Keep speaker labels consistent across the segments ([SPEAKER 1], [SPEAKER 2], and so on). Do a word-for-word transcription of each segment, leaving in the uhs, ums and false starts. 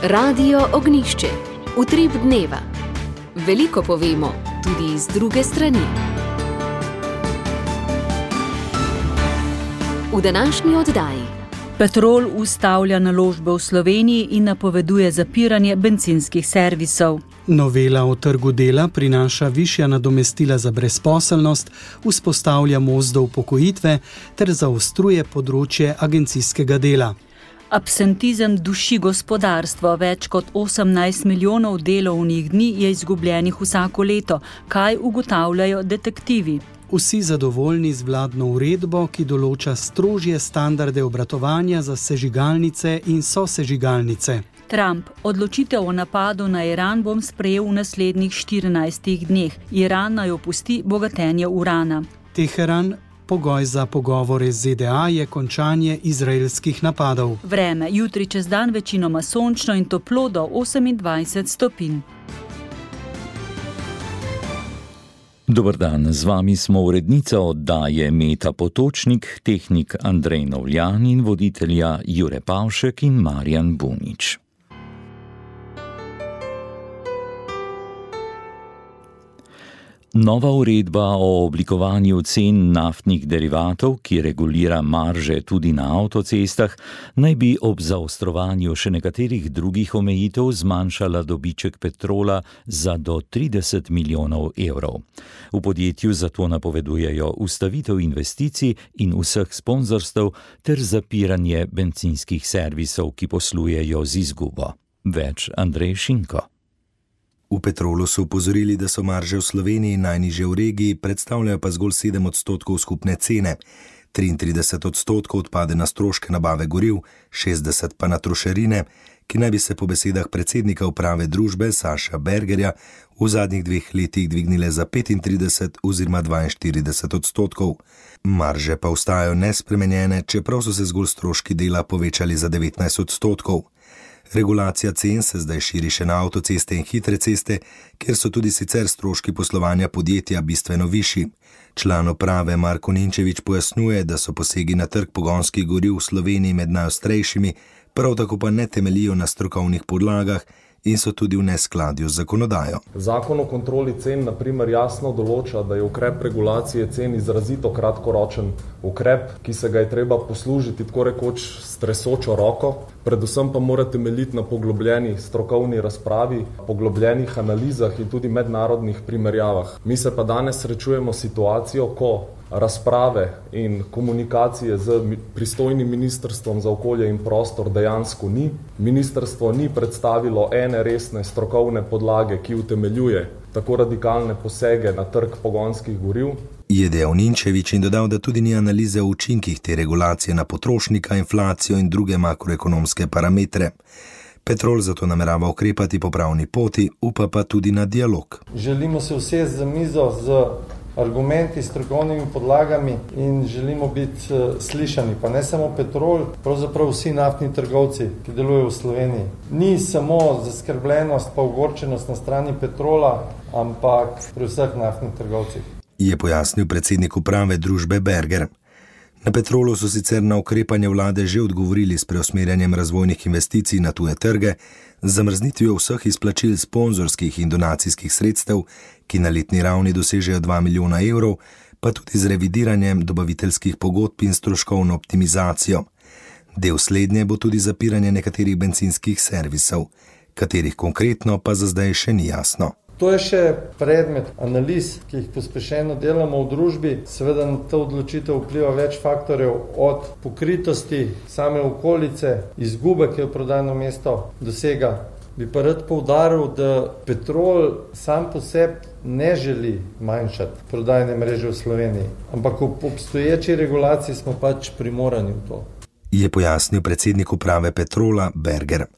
[SPEAKER 1] Radio Ognjišče. Utrip dneva. Veliko povemo, tudi iz druge strani. V današnji oddaji.
[SPEAKER 2] Petrol ustavlja naložbe v Sloveniji in napoveduje zapiranje bencinskih servisov.
[SPEAKER 3] Novela o trgu dela prinaša višja nadomestila za brezposelnost, vzpostavlja most do upokojitve ter zaostruje področje agencijskega dela.
[SPEAKER 2] Absentizem duši gospodarstvo. Več kot osemnajst milijonov delovnih dni je izgubljenih vsako leto. Kaj ugotavljajo detektivi?
[SPEAKER 3] Vsi zadovoljni z vladno uredbo, ki določa strožje standarde obratovanja za sežigalnice in sosežigalnice.
[SPEAKER 2] Trump. Odločitev o napadu na Iran bom sprejel v naslednjih štirinajstih dneh. Iran naj opusti bogatenje urana.
[SPEAKER 3] Teheran. Pogoj za pogovore z Z D A je končanje izraelskih napadov.
[SPEAKER 2] Vreme. Jutri čez dan večinoma sončno in toplo do osemindvajset stopinj.
[SPEAKER 4] Dober dan, z vami smo urednica oddaje Meta Potočnik, tehnik Andrej Novljan in voditelja Jure Pavšek in Marjan Bunič. Nova uredba o oblikovanju cen naftnih derivatov, ki regulira marže tudi na avtocestah, naj bi ob zaostrovanju še nekaterih drugih omejitev zmanjšala dobiček Petrola za do trideset milijonov evrov. V podjetju zato napovedujejo ustavitev investicij in vseh sponzorstev ter zapiranje bencinskih servisov, ki poslujejo z izgubo. Več Andrej Šinko.
[SPEAKER 5] V Petrolu so upozorili, da so marže v Sloveniji najnižje v regiji, predstavljajo pa zgolj sedem odstotkov skupne cene. triintrideset odstotkov odpade na stroške nabave goriv, šestdeset pa na trošarine, ki naj bi se po besedah predsednika uprave družbe Saša Bergerja v zadnjih dveh letih dvignile za petintrideset oziroma dvainštirideset odstotkov. Marže pa ostajajo nespremenjene, čeprav so se zgolj stroški dela povečali za devetnajst odstotkov. Regulacija cen se zdaj širi še na avtoceste in hitre ceste, kjer so tudi sicer stroški poslovanja podjetja bistveno višji. Član uprave Marko Ninčević pojasnjuje, da so posegi na trg pogonskih goriv v Sloveniji med najostrejšimi, prav tako pa ne temeljijo na strokovnih podlagah in so tudi v neskladju z zakonodajo.
[SPEAKER 6] Zakon o kontroli cen na primer jasno določa, da je ukrep regulacije cen izrazito kratkoročen ukrep, ki se ga je treba poslužiti tako rekoč s tresočo roko, predvsem pa mora temeljiti na poglobljeni strokovni razpravi, poglobljenih analizah in tudi mednarodnih primerjavah. Mi se pa danes srečujemo situacijo, ko razprave in komunikacije z pristojnim ministrstvom za okolje in prostor dejansko ni. Ministrstvo ni predstavilo ene resne strokovne podlage, ki utemeljuje tako radikalne posege na trg pogonskih goriv.
[SPEAKER 5] Je dejal Ninčević in dodal, da tudi ni analize o učinkih te regulacije na potrošnika, inflacijo in druge makroekonomske parametre. Petrol zato namerava ukrepati po pravni poti, upa pa tudi na dialog.
[SPEAKER 7] Želimo se usesti za mizo z argumenti, strokovnimi podlagami in želimo biti uh, slišani, pa ne samo Petrol, pravzaprav vsi naftni trgovci, ki delujejo v Sloveniji. Ni samo zaskrbljenost pa ogorčenost na strani Petrola, ampak pri vseh naftnih trgovcih.
[SPEAKER 5] Je pojasnil predsednik uprave družbe Berger. Na Petrolu so sicer na ukrepanje vlade že odgovorili s preusmerjanjem razvojnih investicij na tuje trge, z zamrznitvijo vseh izplačil sponzorskih in donacijskih sredstev, ki na letni ravni dosežejo dva milijona evrov, pa tudi z revidiranjem dobaviteljskih pogodb in stroškovno optimizacijo. Del slednje bo tudi zapiranje nekaterih bencinskih servisov, katerih konkretno pa za zdaj še ni jasno.
[SPEAKER 7] To je še predmet analiz, ki jih pospešeno delamo v družbi. Seveda na to odločitev vpliva več faktorjev, od pokritosti same okolice, izgube, ki jo prodajno mesto dosega. Bi pa rad poudaril, da Petrol sam po sebi ne želi manjšati prodajne mreže v Sloveniji, ampak ob obstoječi regulaciji smo pač primorani v to.
[SPEAKER 5] Je pojasnil predsednik uprave Petrola Berger.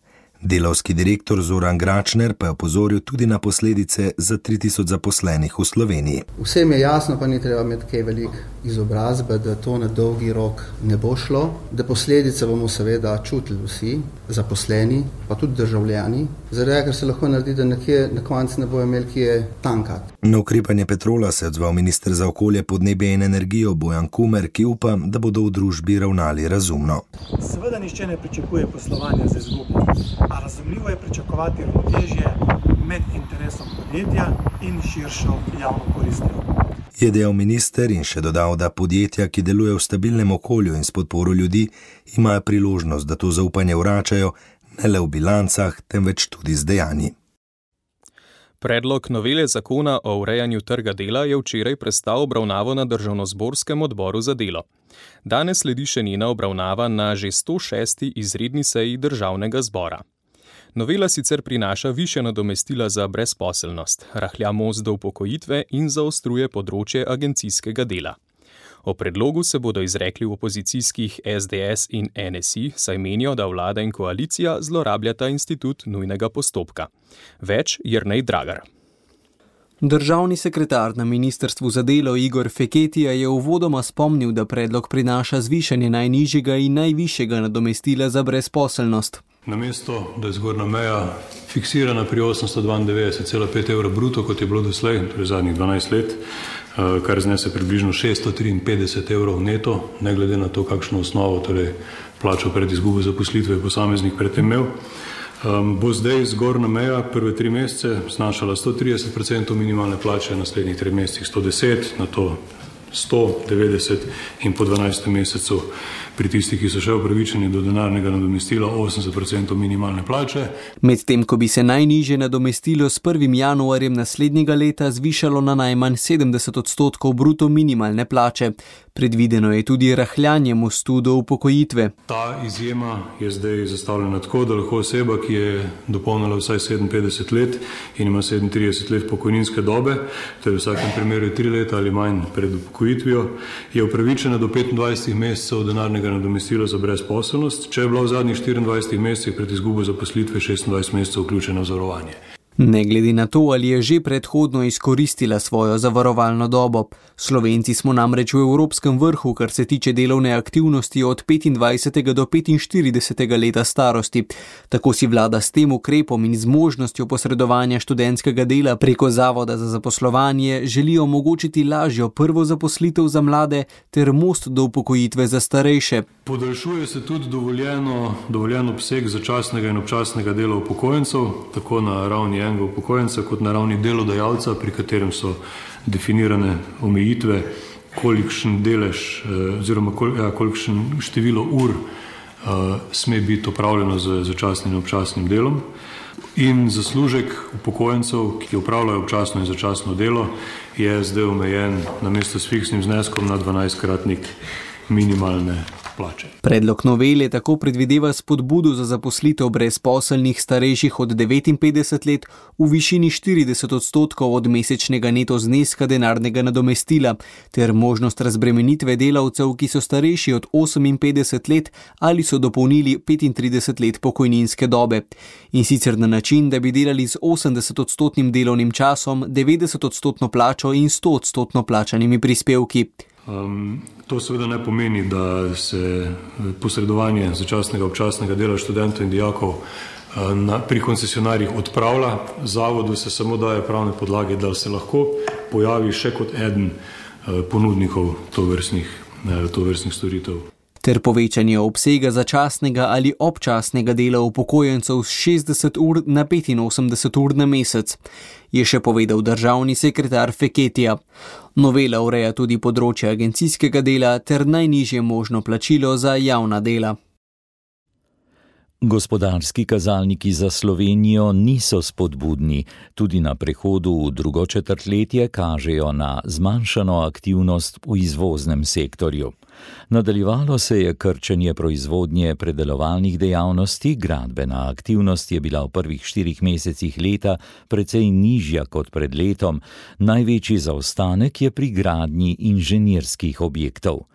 [SPEAKER 5] Delavski direktor Zoran Gračner pa je opozoril tudi na posledice za tri tisoč zaposlenih v Sloveniji.
[SPEAKER 8] Vsem je jasno, pa ni treba imeti kaj velik izobrazbe, da to na dolgi rok ne bo šlo, da posledice bomo seveda čutili vsi, zaposleni, pa tudi državljani, zaradi ker se lahko naredi, da nekje na koncu ne bojo imeli kje tankati.
[SPEAKER 5] Na ukrepanje Petrola se je odzval minister za okolje, podnebje in energijo Bojan Kumer, ki upa, da bodo v družbi ravnali razumno.
[SPEAKER 9] Seveda nišče ne pričakuje poslovanja z izgubo. a razumljivo je pričakovati ravnotežje med interesom podjetja in širšo javno koristjo.
[SPEAKER 5] Je dejal minister in še dodal, da podjetja, ki delujejo v stabilnem okolju in s podporo ljudi, imajo priložnost, da to zaupanje vračajo ne le v bilancah, temveč tudi z dejanji.
[SPEAKER 10] Predlog novele zakona o urejanju trga dela je včeraj prestal obravnavo na Državnozborskem odboru za delo. Danes sledi še njena obravnava na že sto šesti izredni seji Državnega zbora. Novela sicer prinaša višja nadomestila za brezposelnost, rahlja most do upokojitve in zaostruje področje agencijskega dela. O predlogu se bodo izrekli v opozicijskih S D S in N S I, saj menijo, da vlada in koalicija zlorabljata institut nujnega postopka. Več Jernej Dragar.
[SPEAKER 11] Državni sekretar na Ministrstvu za delo Igor Feketija je uvodoma spomnil, da predlog prinaša zvišanje najnižjega in najvišjega nadomestila za brezposelnost.
[SPEAKER 12] Namesto, da je zgornja meja fiksirana pri osemsto dvaindevetdeset cela pet evra bruto, kot je bilo doslej, torej zadnjih dvanajst let, kar znese približno šeststo triinpetdeset evrov neto, ne glede na to, kakšno osnovo, torej plačo pred izgubo zaposlitve posameznik predtem imel, bo zdaj zgornja meja prve tri mesece znašala sto trideset procentov minimalne plače, naslednjih treh mesecih sto deset, na to sto devetdeset in po dvanajstem mesecu pri tistih, ki so še upravičeni do denarnega nadomestila, osemdeset procentov minimalne plače.
[SPEAKER 11] Medtem, ko bi se najnižje nadomestilo s prvim januarjem naslednjega leta zvišalo na najmanj sedemdeset odstotkov bruto minimalne plače. Predvideno je tudi rahljanje mostu do upokojitve.
[SPEAKER 12] Ta izjema je zdaj zastavljena tako, da lahko oseba, ki je dopolnila vsaj sedeminpetdeset let in ima sedemintrideset let pokojninske dobe, to je v vsakem primeru tri leta ali manj pred upokojitvijo, je upravičena do petindvajset mesecev denarnega nadomestila za brezposelnost, če je bila v zadnjih štiriindvajsetih mesecih pred izgubo zaposlitve šestindvajset mesecev vključena v zavarovanje.
[SPEAKER 11] Ne glede na to, ali je že predhodno izkoristila svojo zavarovalno dobo. Slovenci smo namreč v evropskem vrhu, kar se tiče delovne aktivnosti od petindvajsetega do petinštiridesetega leta starosti. Tako si vlada s tem ukrepom in z možnostjo posredovanja študentskega dela preko Zavoda za zaposlovanje želi omogočiti lažjo prvo zaposlitev za mlade ter most do upokojitve za starejše.
[SPEAKER 12] Podaljšuje se tudi dovoljeno, dovoljen obseg začasnega in občasnega dela upokojencev, tako na ravni enega upokojenca kot na ravni delodajalca, pri katerem so definirane omejitve, kolikšen delež oziroma ja, kolikšen število ur uh, sme biti opravljeno z začasnim in občasnim delom. In zaslužek upokojencev, ki opravljajo občasno in začasno delo, je zdaj omejen namesto s fiksnim zneskom na dvanajstkratnik minimalne plače.
[SPEAKER 11] Predlog novele tako predvideva spodbudo za zaposlitev brezposelnih starejših od devetinpetdeset let v višini štirideset odstotkov od mesečnega neto zneska denarnega nadomestila ter možnost razbremenitve delavcev, ki so starejši od oseminpetdeset let ali so dopolnili petintrideset let pokojninske dobe. In sicer na način, da bi delali z osemdeset odstotnim delovnim časom, devetdeset odstotno plačo in sto odstotno plačanimi prispevki.
[SPEAKER 12] Um, to seveda ne pomeni, da se posredovanje začasnega občasnega dela študentov in dijakov uh, na, pri koncesionarjih odpravlja. Zavodu se samo daje pravne podlage, da se lahko pojavi še kot eden uh, ponudnikov tovrstnih, uh, tovrstnih storitev.
[SPEAKER 11] Ter povečanje obsega začasnega ali občasnega dela upokojencev s šestdeset ur na petinosemdeset ur na mesec, je še povedal državni sekretar Feketija. Novela ureja tudi področje agencijskega dela ter najnižje možno plačilo za javna dela.
[SPEAKER 4] Gospodarski kazalniki za Slovenijo niso spodbudni, tudi na prehodu v drugo četrtletje kažejo na zmanjšano aktivnost v izvoznem sektorju. Nadaljevalo se je krčenje proizvodnje predelovalnih dejavnosti, gradbena aktivnost je bila v prvih štirih mesecih leta precej nižja kot pred letom, največji zaostanek je pri gradnji inženirskih objektov.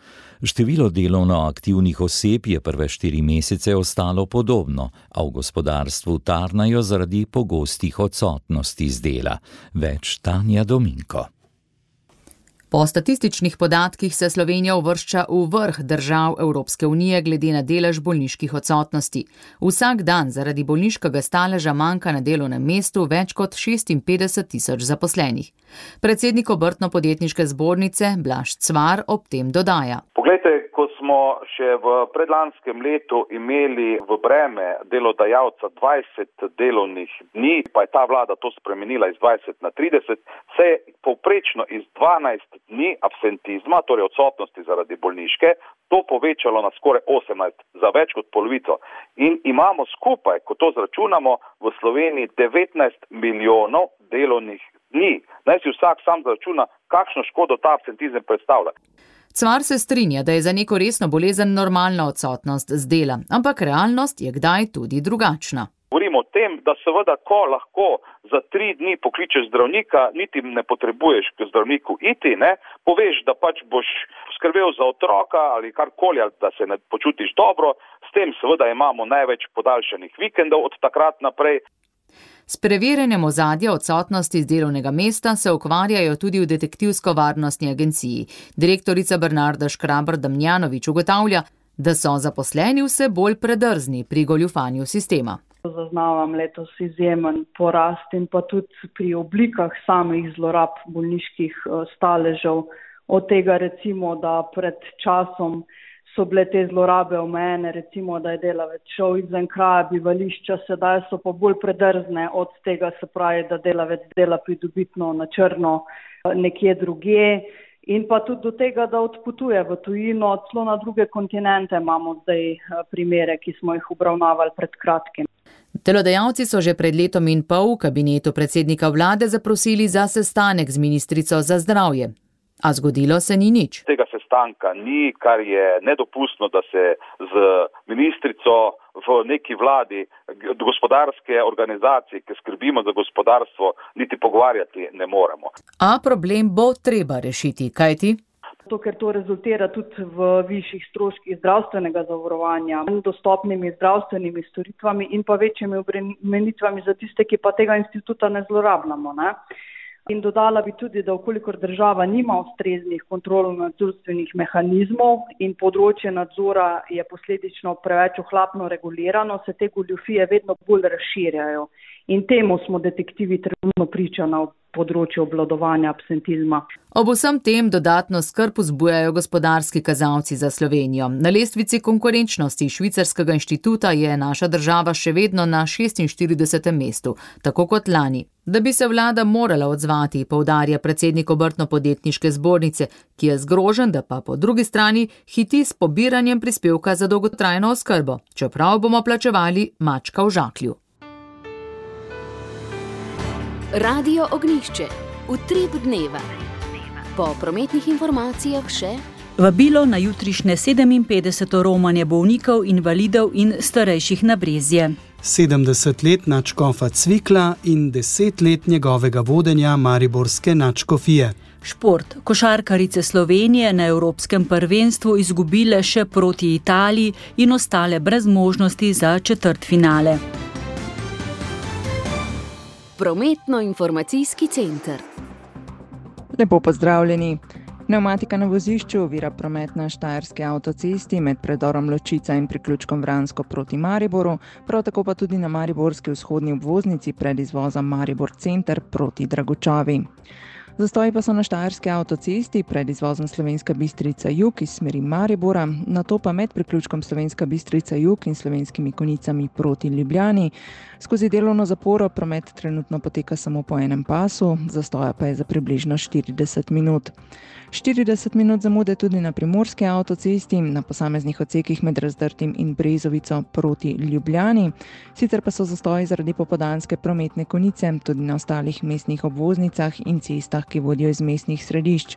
[SPEAKER 4] Število delovno aktivnih oseb je prve štiri mesece ostalo podobno, a v gospodarstvu tarnajo zaradi pogostih odsotnosti z dela. Več Tanja Dominko.
[SPEAKER 13] Po statističnih podatkih se Slovenija uvršča v vrh držav Evropske unije glede na delež bolniških odsotnosti. Vsak dan zaradi bolniškega staleža manjka na delovnem mestu več kot šestinpetdeset tisoč zaposlenih. Predsednik Obrtno-podjetniške zbornice Blaž Cvar ob tem dodaja.
[SPEAKER 14] Poglejte, ko smo smo še v predlanskem letu imeli v breme delodajalca dvajset delovnih dni, pa je ta vlada to spremenila iz dvajset na trideset, se je povprečno iz dvanajst dni absentizma, torej odsotnosti zaradi bolniške, to povečalo na skoraj osemnajst, za več kot polovico. In imamo skupaj, ko to zračunamo, v Sloveniji devetnajst milijonov delovnih dni. Naj si vsak sam zračuna, kakšno škodo ta absentizem predstavlja.
[SPEAKER 13] Cvar se strinja, da je za neko resno bolezen normalna odsotnost z dela, ampak realnost je kdaj tudi drugačna.
[SPEAKER 14] Govorimo o tem, da seveda, ko lahko za tri dni pokličeš zdravnika, niti ne potrebuješ k zdravniku iti, ne, poveš, da pač boš skrbel za otroka ali karkoli, ali da se ne počutiš dobro, s tem seveda imamo največ podaljšanih vikendov od takrat naprej.
[SPEAKER 13] S preverjanjem ozadja odsotnosti z delovnega mesta se ukvarjajo tudi v detektivsko-varnostni agenciji. Direktorica Bernarda Škrabar-Damjanovič ugotavlja, da so zaposleni vse bolj predrzni pri goljufanju sistema.
[SPEAKER 15] Zaznavam letos izjemen porast in pa tudi pri oblikah samih zlorab bolniških staležev. Od tega recimo, da pred časom so bile te zlorabe omejene, recimo, da je delavec šel izven kraja bivališča, sedaj so pa bolj predrzne od tega, se pravi, da delavec dela pridobitno na črno nekje drugje in pa tudi do tega, da odpotuje v tujino, celo na druge kontinente imamo zdaj primere, ki smo jih obravnavali pred kratkim.
[SPEAKER 13] Delodajalci so že pred letom in pol v kabinetu predsednika vlade zaprosili za sestanek z ministrico za zdravje. A zgodilo se ni nič.
[SPEAKER 14] Tega sestanka ni, kar je nedopustno, da se z ministrico v neki vladi gospodarske organizacije, ki skrbimo za gospodarstvo, niti pogovarjati ne moremo.
[SPEAKER 13] A problem bo treba rešiti, kajti?
[SPEAKER 15] To, ker to rezultira tudi v višjih stroških zdravstvenega zavarovanja, dostopnimi zdravstvenimi storitvami in pa večjimi obremenitvami za tiste, ki pa tega instituta ne zlorabljamo, ne? In dodala bi tudi, da vkolikor država nima ustreznih kontrolno-nadzorstvenih mehanizmov in področje nadzora je posledično preveč ohlapno regulirano, se te goljufije vedno bolj razširjajo. In temu smo detektivi trenutno priča na področju obvladovanja absentizma.
[SPEAKER 13] Ob vsem tem dodatno skrb vzbujajo gospodarski kazalci za Slovenijo. Na lestvici konkurenčnosti Švicarskega inštituta je naša država še vedno na šestinštiridesetem mestu, tako kot lani. Da bi se vlada morala odzvati, poudarja predsednik Obrtno-podjetniške zbornice, ki je zgrožen, da pa po drugi strani hiti s pobiranjem prispevka za dolgotrajno oskrbo, čeprav bomo plačevali mačka v žaklju.
[SPEAKER 1] Radio Ognjišče, utrip dneva. Po prometnih informacijah še
[SPEAKER 2] vabilo na jutrišnje sedeminpetdeseto romanje bolnikov, invalidov in starejših na Brezje.
[SPEAKER 3] sedemdeset let nadškofa Cvikla in deset let njegovega vodenja mariborske nadškofije.
[SPEAKER 2] Šport. Košarkarice Slovenije na Evropskem prvenstvu izgubile še proti Italiji in ostale brez možnosti za četrtfinale.
[SPEAKER 1] Prometno-informacijski center.
[SPEAKER 16] Lepo pozdravljeni. Pnevmatika na vozišču ovira promet na Štajerski avtocesti med predorom Ločica in priključkom Vransko proti Mariboru, prav tako pa tudi na mariborski vzhodni obvoznici pred izvozom Maribor center proti Dragočavi. Zastoji pa so na Štajerski avtocesti pred izvozom Slovenska Bistrica jug iz smeri Maribora, nato pa med priključkom Slovenska Bistrica jug in Slovenskimi Konjicami proti Ljubljani. Skozi delovno zaporo promet trenutno poteka samo po enem pasu, zastoja pa je za približno štirideset minut. štirideset minut zamude tudi na Primorski avtocesti, na posameznih odsekih med Razdrtim in Brezovico proti Ljubljani. Sicer pa so zastoji zaradi popoldanske prometne konice tudi na ostalih mestnih obvoznicah in cestah, ki vodijo iz mestnih središč.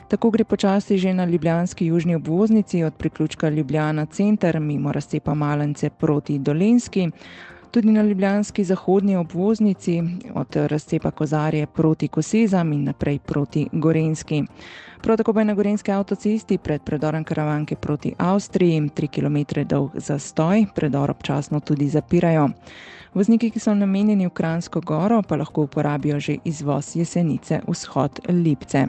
[SPEAKER 16] Tako gre počasi že na ljubljanski južni obvoznici od priključka Ljubljana center mimo razcepa Malence proti Dolenjski. Tudi na ljubljanski zahodni obvoznici od razcepa Kozarje proti Kosezam in naprej proti Gorenjski. Prav tako pa je na gorenjski avtocesti pred predorom Karavanke proti Avstriji tri kilometre dolg zastoj, predor občasno tudi zapirajo. Vozniki, ki so namenjeni v Kranjsko goro, pa lahko uporabijo že izvoz Jesenice vzhod Lipce.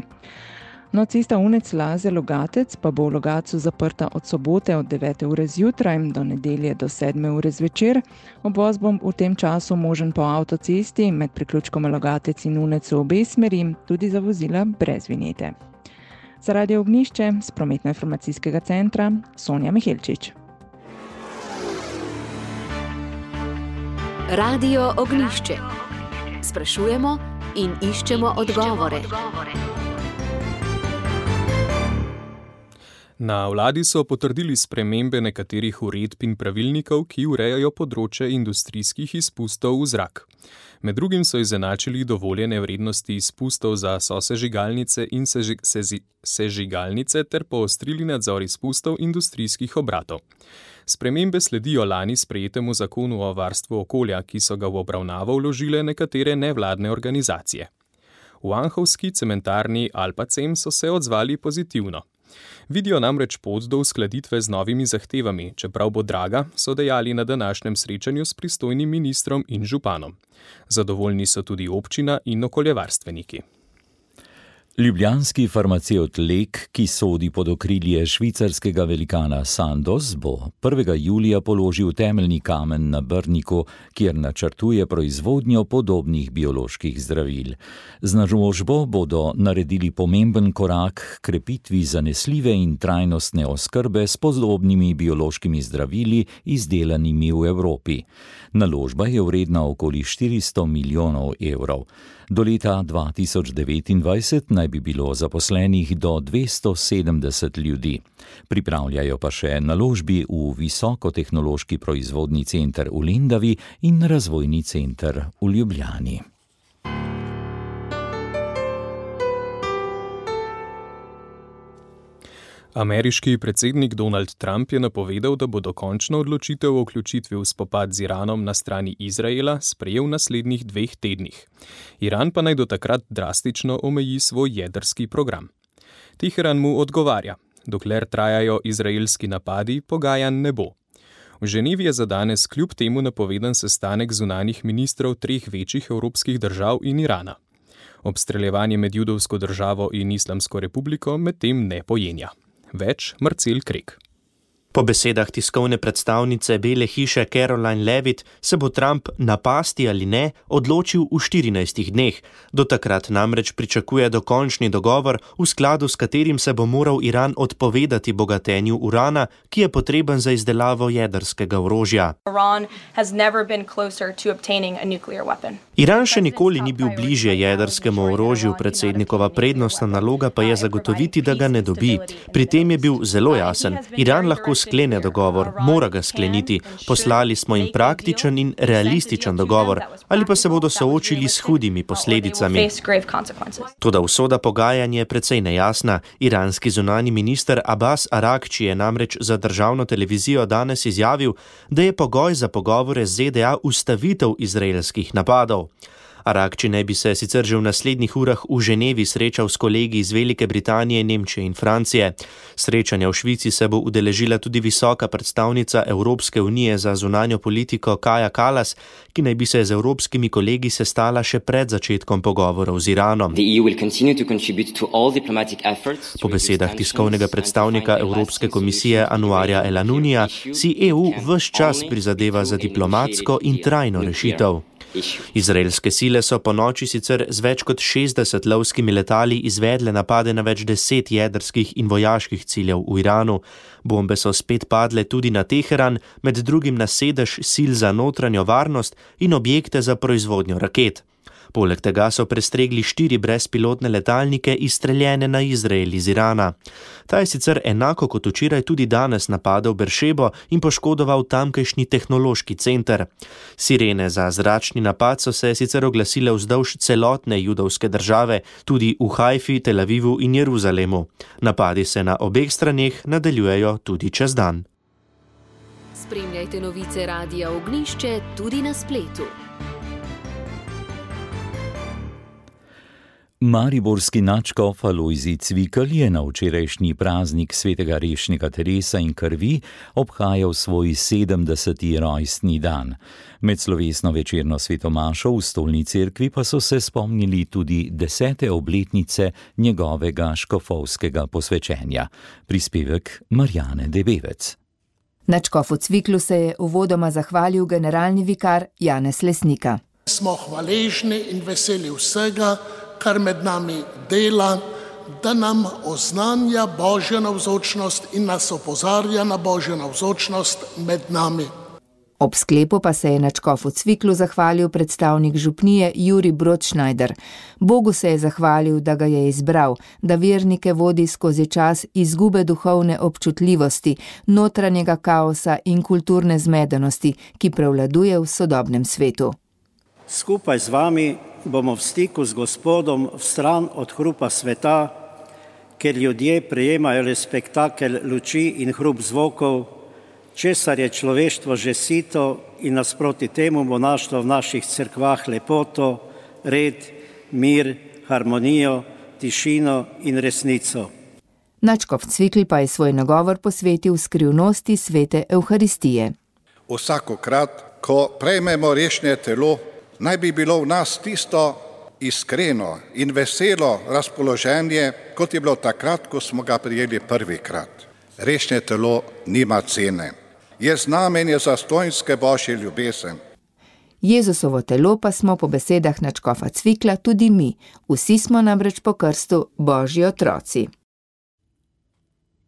[SPEAKER 16] No, cesta Unec-Laze-Logatec pa bo v Logatcu zaprta od sobote od devete ure zjutraj do nedelje do sedme ure zvečer. Obvoz bo v tem času možen po avtocesti med priključkom Logatec in Unec v obe smeri, tudi za vozila brez vinjete. Za Radio Ognišče z prometno-informacijskega centra Sonja Mihelčič.
[SPEAKER 1] Radio Ognišče. Sprašujemo in iščemo odgovore.
[SPEAKER 10] Na vladi so potrdili spremembe nekaterih uredb in pravilnikov, ki urejajo področje industrijskih izpustov v zrak. Med drugim so izenačili dovoljene vrednosti izpustov za sosežigalnice in seži, sezi, sežigalnice ter poostrili nadzor izpustov industrijskih obratov. Spremembe sledijo lani sprejetemu zakonu o varstvu okolja, ki so ga v obravnavo vložile nekatere nevladne organizacije. V anhovski cementarni Alpacem so se odzvali pozitivno. Vidijo namreč pot do uskladitve z novimi zahtevami, čeprav bo draga, so dejali na današnjem srečanju s pristojnim ministrom in županom. Zadovoljni so tudi občina in okoljevarstveniki.
[SPEAKER 4] Ljubljanski farmacevt Lek, ki sodi pod okrilje švicarskega velikana Sandoz, bo prvega julija položil temeljni kamen na Brniku, kjer načrtuje proizvodnjo podobnih bioloških zdravil. Z naložbo bodo naredili pomemben korak k krepitvi zanesljive in trajnostne oskrbe s podobnimi biološkimi zdravili, izdelanimi v Evropi. Naložba je vredna okoli štiristo milijonov evrov. Do leta dva tisoč devetindvajset naj bi bilo zaposlenih do dvesto sedemdeset ljudi. Pripravljajo pa še naložbi v visokotehnološki proizvodni center v Lendavi in razvojni center v Ljubljani.
[SPEAKER 10] Ameriški predsednik Donald Trump je napovedal, da bo dokončno odločitev o vključitvi v spopad z Iranom na strani Izraela sprejel v naslednjih dveh tednih. Iran pa naj do takrat drastično omeji svoj jedrski program. Teheran mu odgovarja, dokler trajajo izraelski napadi, pogajanj ne bo. V Ženevi je za danes kljub temu napovedan sestanek zunanjih ministrov treh večjih evropskih držav in Irana. Obstreljevanje med judovsko državo in Islamsko republiko medtem ne pojenja. Več Marcel Krek.
[SPEAKER 17] Po besedah tiskovne predstavnice Bele hiše Caroline Levitt se bo Trump napasti ali ne odločil v štirinajstih dneh. Do takrat namreč pričakuje dokončni dogovor, v skladu s katerim se bo moral Iran odpovedati bogatenju urana, ki je potreben za izdelavo jedrskega orožja. Iran še nikoli ni bil bližje jedrskemu orožju, predsednikova prednostna naloga pa je zagotoviti, da ga ne dobi. Pri tem je bil zelo jasen. Iran lahko sklene dogovor, mora ga skleniti. Poslali smo jim praktičen in realističen dogovor, ali pa se bodo soočili s hudimi posledicami. Toda usoda pogajanj je precej nejasna. Iranski zunanji minister Abbas Aragči je namreč za državno televizijo danes izjavil, da je pogoj za pogovore z Z D A ustavitev izraelskih napadov. Aragči naj bi se sicer že v naslednjih urah v Ženevi srečal s kolegi iz Velike Britanije, Nemčije in Francije. Srečanja v Švici se bo udeležila tudi visoka predstavnica Evropske unije za zunanjo politiko Kaja Kallas, ki naj bi se z evropskimi kolegi sestala še pred začetkom pogovorov z Iranom. Po besedah tiskovnega predstavnika Evropske komisije Anuarja Elanunija si E U ves čas prizadeva za diplomatsko in trajno rešitev. Izraelske sile so po noči sicer z več kot šestdeset lovskimi letali izvedle napade na več deset jedrskih in vojaških ciljev v Iranu. Bombe so spet padle tudi na Teheran, med drugim na sedež sil za notranjo varnost in objekte za proizvodnjo raket. Poleg tega so prestregli štiri brezpilotne letalnike izstreljene na Izrael iz Irana. Ta je sicer enako kot včeraj tudi danes napadel Beršebo in poškodoval tamkajšnji tehnološki center. Sirene za zračni napad so se sicer oglasile vzdolž celotne judovske države, tudi v Hajfi, Tel Avivu in Jeruzalemu. Napadi se na obeh straneh nadaljujejo tudi čez dan.
[SPEAKER 1] Spremljajte novice Radia Ognišče tudi na spletu.
[SPEAKER 4] Mariborski nadškof Alojzij Cvikl je na včerajšnji praznik svetega Rešnjega Teresa in krvi obhajal svoj sedemdeseti rojstni dan. Med slovesno večerno svetomašo v Stolni cerkvi pa so se spomnili tudi desete obletnice njegovega škofovskega posvečenja. Prispevek Marjane Debevec.
[SPEAKER 18] Nadškofu Cviklu se je uvodoma zahvalil generalni vikar Janez Lesnika.
[SPEAKER 19] Smo hvaležni in veseli vsega, kar med nami dela, da nam oznanja Božjo navzočnost in nas opozarja na Božjo navzočnost med nami.
[SPEAKER 18] Ob sklepu pa se je na škofu Cviklu zahvalil predstavnik župnije Jurij Brodšnajder. Bogu se je zahvalil, da ga je izbral, da vernike vodi skozi čas izgube duhovne občutljivosti, notranjega kaosa in kulturne zmedenosti, ki prevladuje v sodobnem svetu.
[SPEAKER 20] Skupaj z vami bomo v stiku z Gospodom v stran od hrupa sveta, ker ljudje prejemajo le spektakel luči in hrup zvokov, česar je človeštvo že sito in nasproti temu bo našlo v naših cerkvah lepoto, red, mir, harmonijo, tišino in resnico.
[SPEAKER 18] Nadškof Cvikl pa je svoj nagovor posvetil skrivnosti svete Evharistije.
[SPEAKER 21] Vsakokrat, ko prejmemo rešnje telo, naj bi bilo v nas tisto iskreno in veselo razpoloženje, kot je bilo takrat, ko smo ga prijeli prvikrat. Rešnje telo nima cene. Je znamenje zastonjske Božje ljubezen.
[SPEAKER 18] Jezusovo telo pa smo po besedah nadškofa Cvikla tudi mi. Vsi smo namreč po krstu Božji otroci.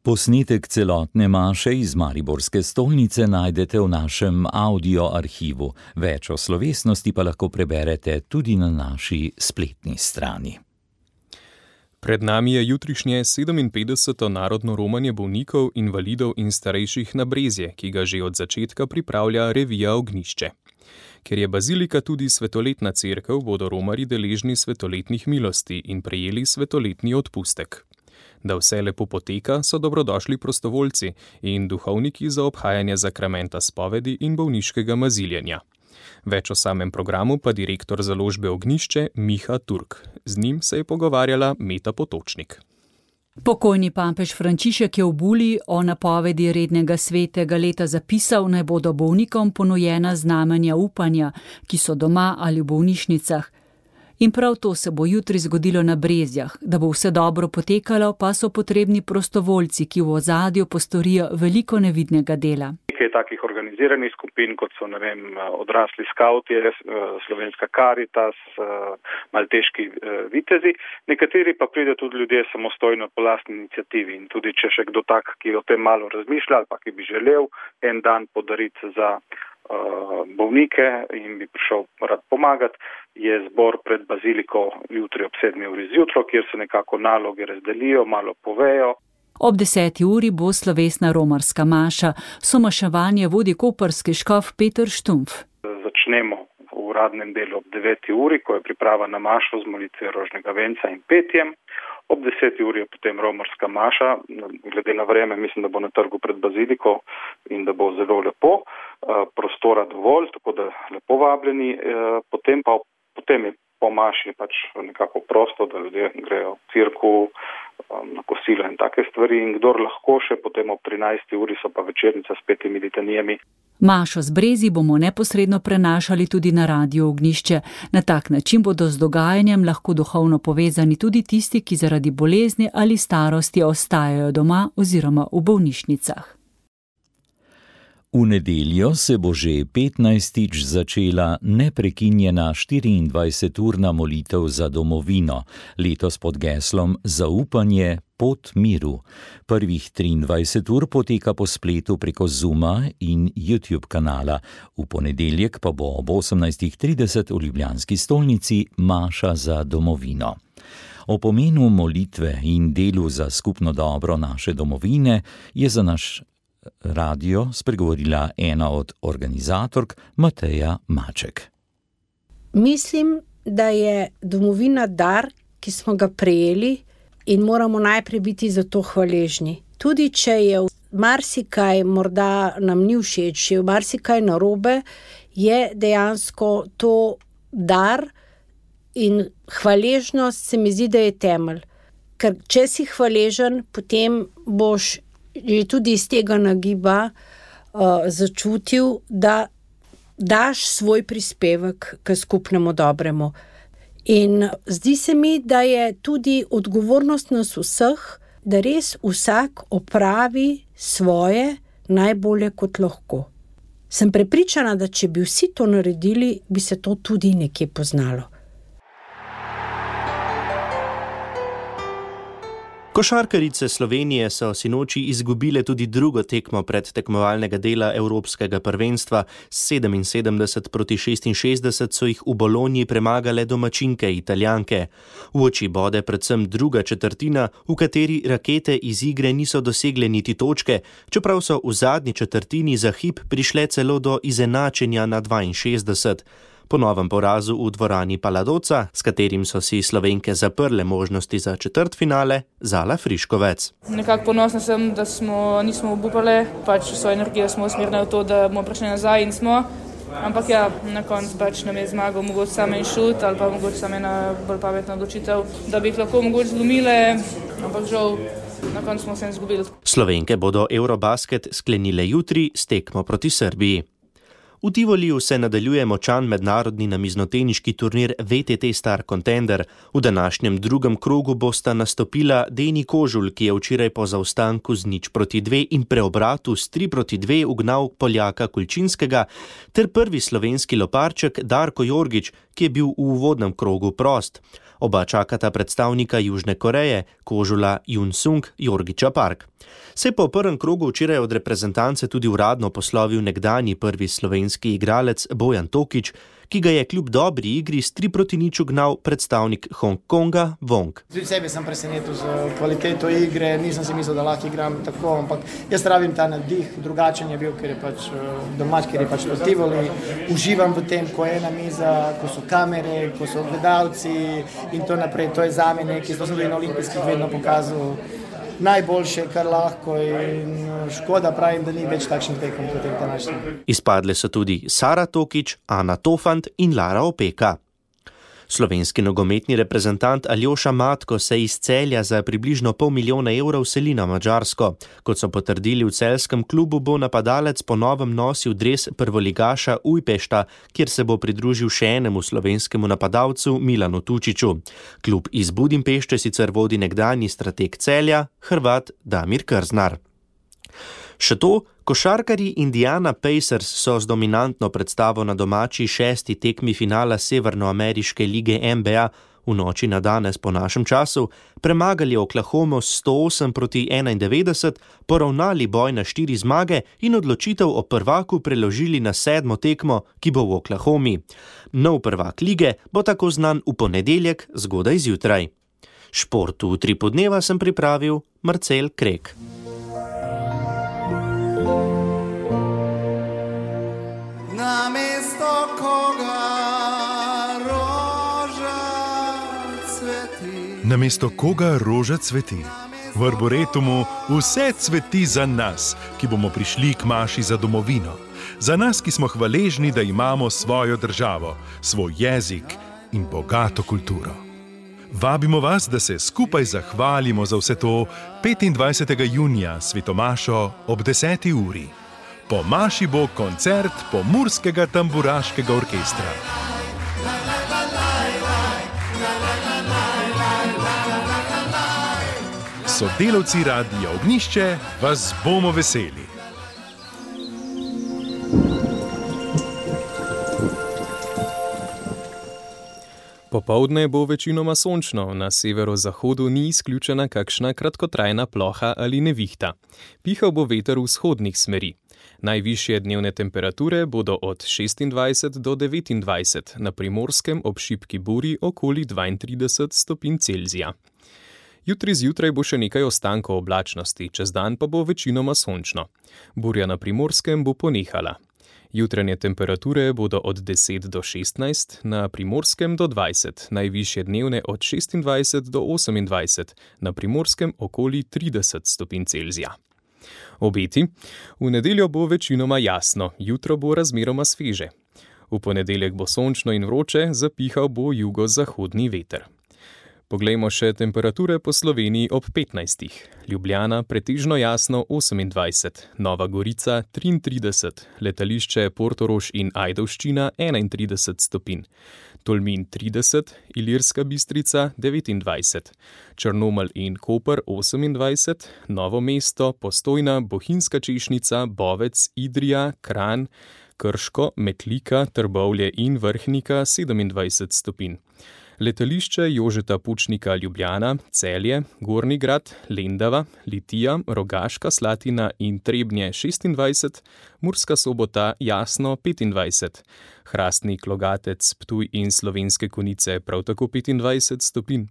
[SPEAKER 4] Posnetek celotne maše iz mariborske stolnice najdete v našem audio arhivu. Več o slovesnosti pa lahko preberete tudi na naši spletni strani.
[SPEAKER 10] Pred nami je jutrišnje sedeminpetdeseto narodno romanje bolnikov, invalidov in starejših na Brezje, ki ga že od začetka pripravlja revija Ognjišče. Ker je bazilika tudi svetoletna cerkev, bodo romarji deležni svetoletnih milosti in prejeli svetoletni odpustek. Da vse lepo poteka, so dobrodošli prostovoljci in duhovniki za obhajanje zakramenta spovedi in bolniškega maziljenja. Več o samem programu pa direktor založbe Ognjišče Miha Turk. Z njim se je pogovarjala Meta Potočnik.
[SPEAKER 2] Pokojni papež Frančišek je v buli o napovedi rednega svetega leta zapisal, naj bodo bolnikom ponujena znamenja upanja, ki so doma ali v bolnišnicah. In prav to se bo jutri zgodilo na Brezjah. Da bo vse dobro potekalo, pa so potrebni prostovoljci, ki v ozadju postorijo veliko nevidnega dela.
[SPEAKER 22] Nekaj takih organiziranih skupin, kot so, ne vem, odrasli skavti, Slovenska Karitas, malteški vitezi, nekateri pa pridejo tudi ljudje samostojno po lastni iniciativi. In tudi če še kdo tak, ki o tem malo razmišlja ali pa ki bi želel en dan podariti za bolnike in bi prišel rad pomagati, je zbor pred baziliko jutri ob sedmi uri zjutraj, kjer se nekako naloge razdelijo, malo povejo.
[SPEAKER 2] Ob deseti uri bo slovesna romarska maša. Somaševanje vodi koprski škof Peter Štumpf.
[SPEAKER 22] Začnemo v uradnem delu ob deveti uri, ko je priprava na mašo z molitvijo rožnega venca in petjem. Ob deseti uri je potem romarska maša. Glede na vreme mislim, da bo na trgu pred baziliko in da bo zelo lepo. Prostora dovolj, tako da lepo vabljeni. Potem pa potem je po maši pač nekako prosto, da ljudje grejo v cirku, na kosilo in take stvari. In kdor lahko še potem ob trinajsti uri so pa večernica s petimi litanijami.
[SPEAKER 2] Mašo z Brezji bomo neposredno prenašali tudi na Radio Ognjišče. Na tak način bodo z dogajanjem lahko duhovno povezani tudi tisti, ki zaradi bolezni ali starosti ostajajo doma oziroma v bolnišnicah.
[SPEAKER 4] V nedeljo se bo že petnajstič začela neprekinjena štiriindvajseturna molitev za domovino, letos pod geslom Zaupanje, pot miru. Prvih triindvajset ur poteka po spletu preko Zooma in YouTube kanala. V ponedeljek pa bo ob osemnajstih trideset v ljubljanski stolnici maša za domovino. O pomenu molitve in delu za skupno dobro naše domovine je za naš radio spregovorila ena od organizatork Mateja Maček.
[SPEAKER 23] Mislim, da je domovina dar, ki smo ga prejeli in moramo najprej biti za to hvaležni. Tudi če je marsikaj morda nam ni všeč, če je marsikaj narobe, je dejansko to dar in hvaležnost se mi zdi, da je temelj. Ker če si hvaležen, potem boš že tudi iz tega nagiba uh, začutil, da daš svoj prispevek k skupnemu dobremu. In zdi se mi, da je tudi odgovornost nas vseh, da res vsak opravi svoje najbolje kot lahko. Sem prepričana, da če bi vsi to naredili, bi se to tudi nekje poznalo.
[SPEAKER 17] Košarkarice Slovenije so sinoči izgubile tudi drugo tekmo pred tekmovalnega dela Evropskega prvenstva. sedeminsedemdeset proti šestinšestdeset so jih v Bologni premagale domačinke Italijanke. V oči bode predvsem druga četrtina, v kateri rakete iz igre niso dosegle niti točke, čeprav so v zadnji četrtini za hip prišle celo do izenačenja na dvainšestdeset. Po novem porazu v dvorani Paladoca, s katerim so si Slovenke zaprle možnosti za četrtfinale, Zala Friškovec.
[SPEAKER 6] Nekako ponosna sem, da smo, nismo obupale, pač svojo energijo smo usmerili v to, da bomo prišli nazaj in smo. Ampak ja, na koncu pač nam je zmagal mogoče samo en šut ali pa mogoče samo ena bolj pametna odločitev, da bi jih lahko mogoče zlomile, ampak žal na koncu smo se izgubili.
[SPEAKER 17] Slovenke bodo Eurobasket sklenile jutri s tekmo proti Srbiji. V Tivoliju se nadaljuje močan mednarodni namiznoteniški turnir V T T Star Contender. V današnjem drugem krogu bosta nastopila Deni Kožul, ki je včeraj po zaostanku z nič proti dve in preobratu s tri proti dve ugnal Poljaka Kulčinskega, ter prvi slovenski loparček Darko Jorgič, ki je bil v uvodnem krogu prost. Oba čakata predstavnika Južne Koreje, Kožula Jun-sung, Jorgiča Park. Se je po prvem krogu včeraj od reprezentance tudi uradno poslovil nekdanji prvi slovenski igralec Bojan Tokič, ki ga je kljub dobri igri s tri proti nič ugnal predstavnik Hongkonga Wong.
[SPEAKER 7] Tudi sebe sem presenetil z kvaliteto igre, nisem si mislil, da lahko igram tako, ampak jaz rabim ta nadih, drugačen je bil, ker je pač domač, ker je pač v Tivoli. Uživam v tem, ko je ena miza, ko so kamere, ko so gledalci in to naprej. To je zame nekaj, to sem tudi na olimpijskih vedno pokazal. Najboljše, kar lahko, in škoda pravim, da ni več takšnih tekem kot je današnji.
[SPEAKER 17] Izpadle so tudi Sara Tokič, Ana Tofant in Lara Opeka. Slovenski nogometni reprezentant Aljoša Matko se iz Celja za približno pol milijona evrov seli na Madžarsko. Kot so potrdili v celjskem klubu, bo napadalec po novem nosil dres prvoligaša Ujpešta, kjer se bo pridružil še enemu slovenskemu napadalcu Milanu Tučiću. Klub iz Budimpešte sicer vodi nekdanji strateg Celja, Hrvat Damir Krznar. Še to, košarkarji Indiana Pacers so z dominantno predstavo na domači šesti tekmi finala Severnoameriške lige N B A v noči na danes po našem času premagali Oklahomo sto osem proti enaindevetdeset, poravnali boj na štiri zmage in odločitev o prvaku preložili na sedmo tekmo, ki bo v Oklahomi. Nov prvak lige bo tako znan v ponedeljek zgodaj zjutraj. Šport v tri podneva sem pripravil Marcel Krek.
[SPEAKER 8] Namesto koga roža cveti.
[SPEAKER 24] Namesto koga roža cveti. V Arboretumu vse cveti za nas, ki bomo prišli k maši za domovino. Za nas, ki smo hvaležni, da imamo svojo državo, svoj jezik in bogato kulturo. Vabimo vas, da se skupaj zahvalimo za vse to petindvajsetega junija svetomašo ob deseti uri. Po maši bo koncert Pomurskega tamburaškega orkestra. Sodelavci Radia Ognjišče vas bomo veseli.
[SPEAKER 10] Popoldne bo večinoma sončno, na severozahodu ni izključena kakšna kratkotrajna ploha ali nevihta. Pihal bo veter vzhodnih smeri. Najvišje dnevne temperature bodo od šestindvajset do devetindvajset, na Primorskem ob šibki buri okoli dvaintrideset stopinj Celzija. Jutri zjutraj bo še nekaj ostankov oblačnosti, čez dan pa bo večinoma sončno. Burja na Primorskem bo ponehala. Jutranje temperature bodo od deset do šestnajst, na Primorskem do dvajset, najvišje dnevne od šestindvajset do osemindvajset, na Primorskem okoli trideset stopinj Celzija. Obeti. V nedeljo bo večinoma jasno, jutro bo razmeroma sveže. V ponedeljek bo sončno in vroče, zapihal bo jugozahodni veter. Poglejmo še temperature po Sloveniji ob petnajstih. Ljubljana pretežno jasno osemindvajset, Nova Gorica triintrideset, letališče Portorož in Ajdovščina enaintrideset stopinj, Tolmin trideset, Ilirska Bistrica devetindvajset, Črnomelj in Koper osemindvajset, Novo mesto, Postojna, Bohinjska Češnica, Bovec, Idrija, Kranj, Krško, Metlika, Trbovlje in Vrhnika sedemindvajset stopinj. Letališče Jožeta Pučnika Ljubljana, Celje, Gornji Grad, Lendava, Litija, Rogaška Slatina in Trebnje šestindvajset, Murska Sobota, Jasno petindvajset, Hrastnik, Logatec, Ptuj in Slovenske Konjice prav tako petindvajset stopinj.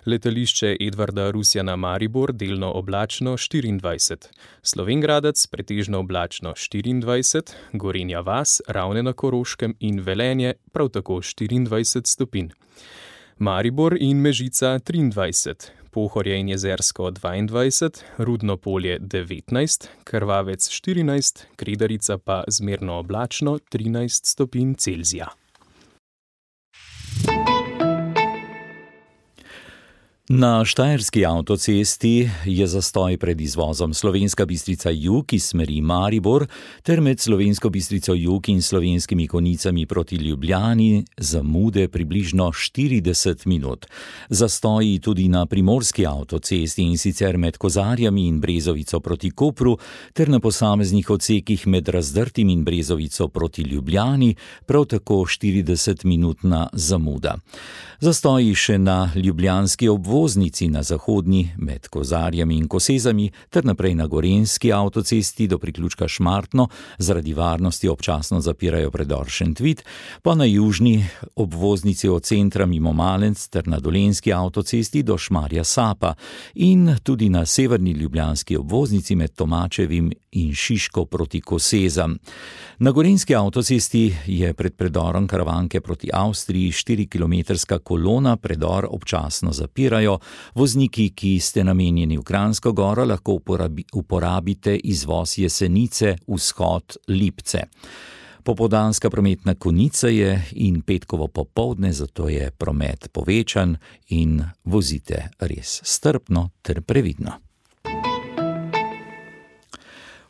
[SPEAKER 10] Letališče Edvarda Rusjana Maribor delno oblačno štiriindvajset, Slovenj Gradec pretežno oblačno štiriindvajset, Gorenja vas, Ravne na Koroškem in Velenje prav tako štiriindvajset stopinj. Maribor in Mežica triindvajset, Pohorje in Jezersko dvaindvajset, Rudno Polje devetnajst, Krvavec štirinajst, Kredarica pa zmerno oblačno trinajst stopinj Celzija.
[SPEAKER 4] Na štajerski avtocesti je zastoj pred izvozom Slovenska Bistrica jug iz smeri Maribor ter med Slovensko Bistrico jug in Slovenskimi Konjicami proti Ljubljani zamude približno štirideset minut. Zastoji tudi na primorski avtocesti in sicer med Kozarjami in Brezovico proti Kopru ter na posameznih odsekih med Razdrtim in Brezovico proti Ljubljani prav tako štiridesetminutna zamuda. Zastoji še na ljubljanski obvoznici na zahodni med Kozarjami in Kosezami ter naprej na gorenjski avtocesti do priključka Šmartno zaradi varnosti občasno zapirajo predor Šentvid, pa na južni obvoznici od centra mimo Malenc ter na dolenjski avtocesti do Šmarja Sapa in tudi na severni ljubljanski obvoznici med Tomačevim in Šiško proti Kosezam. Na gorenjski avtocesti je pred predorom Karavanke proti Avstriji štirikilometrska kolona, predor občasno zapirajo. Vozniki, ki ste namenjeni v Kranjsko goro, lahko uporabi, uporabite izvoz Jesenice, vzhod Lipce. Popoldanska prometna konica je in petkovo popoldne, zato je promet povečan in vozite res strpno ter previdno.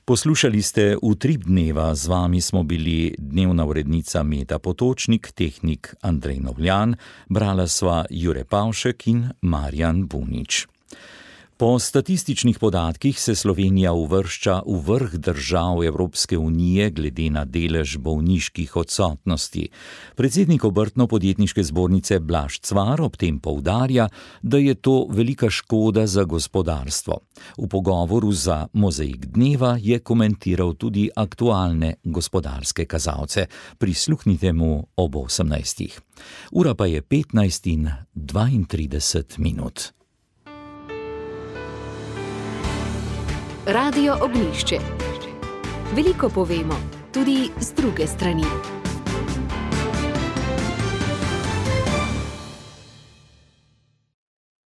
[SPEAKER 4] Poslušali ste Utrip dneva, z vami smo bili dnevna urednica Meta Potočnik, tehnik Andrej Novljan, brala sva Jure Pavšek in Marjan Bunič. Po statističnih podatkih se Slovenija uvršča v vrh držav Evropske unije glede na delež bolniških odsotnosti. Predsednik Obrtno-podjetniške zbornice Blaž Cvar ob tem poudarja, da je to velika škoda za gospodarstvo. V pogovoru za Mozaik dneva je komentiral tudi aktualne gospodarske kazalce. Prisluhnite mu ob osemnajstih. Ura pa je petnajst in dvaintrideset minut.
[SPEAKER 1] Radio Ognjišče. Veliko povemo, tudi z druge strani.